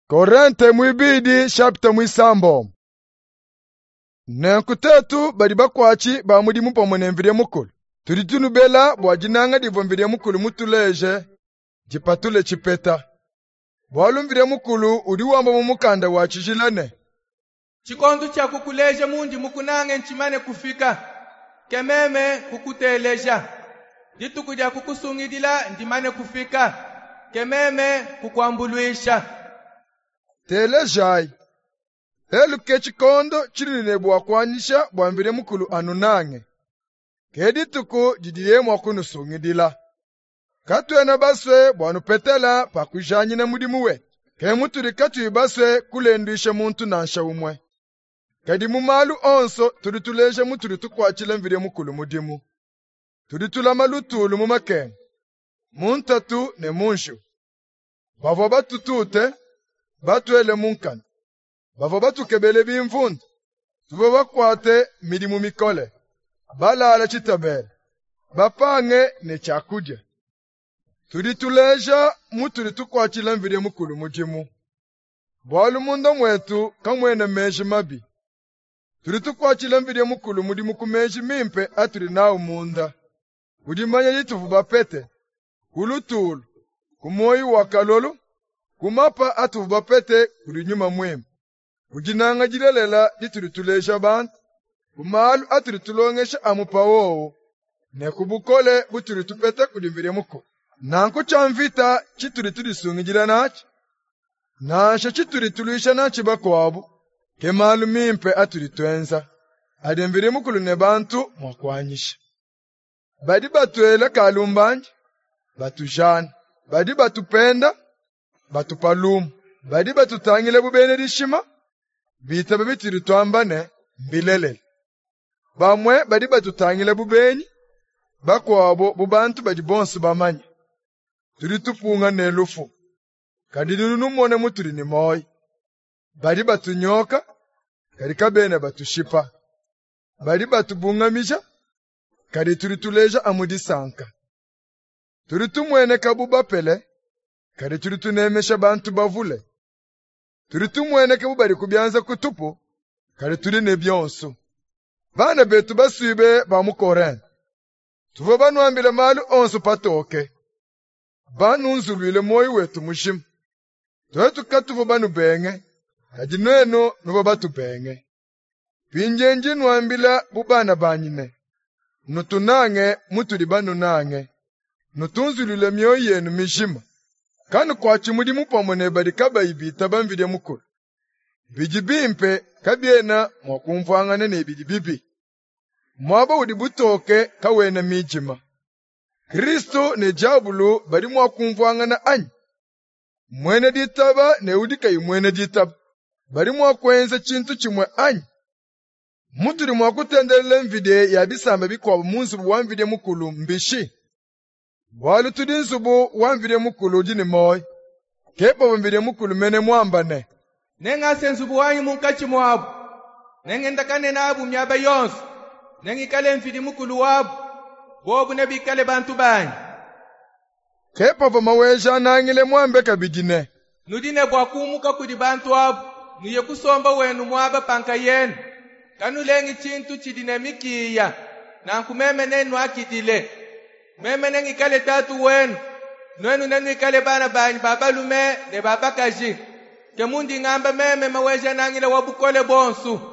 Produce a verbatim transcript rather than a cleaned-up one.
Korente muibidi chapitre muisambombo. Nenku tetu badi bakuatshi ba mudimu pamue ne Mvidie Mukulu, tudi tunubela bua dinanga divua Mvidie Mukulu mutuleje dipatule tshipeta. Bualu Mvidie Mukulu udi wamba mu mukanda wa tshijila ne: Tshikondo tshia kukuleja mundi mukunange ntshimane kufika, ke meme kukuteleja. Dituku dia kukusungidila ndimane kufika, ke meme kukuambuluisha. Telejayi, lelu ke tshikondo tshinudi ne bua kuanyisha bua Mvidie Mukulu anunange. Ke dituku didiye mua kunusungidila. Katuena basue bua nupetela pa kujanyina mudimu wetu. Ke mutudi katuyi basue kulenduisha muntu nansha umue. Kadi mu malu onso tudi tuleja mutudi tukuatshila Mvidie Mukulu mudimu. Tudi tulama lutulu mu makenga, mu ntatu ne mu njiwu. Bavua batutute, batuele mu nkanu. Bavua batukebele bimvundu, tuvua bakuate midimu mikole, balala tshitabela, bapange ne tshiakudia. Tudi tuleja mutudi tukuatshila Mvidie Mukulu mudimu. Bualu munda muetu kamuena meji mabi. Tudi tukuatshila Mvidie Mukulu mudimu ku meji mimpe atudi nawu munda, ku dimanya dituvua bapete, ku lutulu, ku muoyo wa kalolu, ku mapa atuvua bapete kudi Nyuma Muimpe, ku dinanga dilelela ditudi tuleja bantu, ku malu atudi tulongesha amu pa wowu, ne ku bukole butudi tupeta kudi Mvidie Mukulu. Nanku tshia mvita tshitudi tudisungidila natshi, nansha tshitudi tuluisha natshi bakuabu, ke malu mimpe atudi tuenza, adi Mvidie Mukulu ne bantu mua kuanyisha. Badi batuela kalumbandi, batujana, badi batupenda, batupa lumu, badi batutangila bu bena dishima, bitaba bitudi tuamba ne mbilelela. Bamue badi batutangila bu benyi, bakuabo bu bantu badi bonso bamanye. Tudi tupunga ne lufu, kadi nudi numona mutudi ne muoyo. Badi batunyoka, kadi kabena batushipa. Badi batubungamija, kadi tudi tuleja amu disanka. Tudi tumueneka bu bapele, kadi tudi tunemesha bantu bavule. Tudi tumueneka bu badi ku bianza kutupu, kadi tudi ne bionso. Bana betu basuibe ba mu Korinte, tuvua banuambile malu onso patoke, banunzuluile muoyo wetu mujima. Tuetu katuvua banubenge, kadi nuenu nuvua batubenge. Mpindiewu ndi nnuambila bu bana banyi ne, nutunange mutudi banunange, nutunzuluile mioyo yenu mijima. Kanukuatshi mudimu pamue ne badi kabayi bitaba Mvidie Mukulu. Bidi bimpe kabiena mua kumvuangana ne bidi bibi. Muaba udi butoke kawena midima. Kristu ne diabulu badi mua kumvuangana anyi? Muena ditaba ne udi kayi muena ditaba badi mua kuenza tshintu tshimue anyi? Mutudi mua kutendelela mvidie ya bisamba bikuabu mu nzubu wa Mvidie Mukulu mbishi? Bualu tudi nzubu wa Mvidie Mukulu udi ne muoyo. Ke pavua Mvidie Mukulu mene muamba ne: Nengase nzubu wanyi munkatshi muabu, nengendakane nabu miaba yonso, nengikale Mvidi Mukulu wabu, bobu nebikale bantu banyi. Ke pavua Maweja-Nangila muambe kabidi ne: Nudi ne bua kumuka kudi bantu abu, nuye kusomba wenu muaba pa nkayenu. Kanulengi tshintu tshidi ne mikiya, nanku meme nennuakidile. Meme nengikale tatu wenu, nuenu nenuikale bana banyi ba balume ne ba bakaji. Ke mundi ngamba meme Maweja-Nangila wa bukole buonso.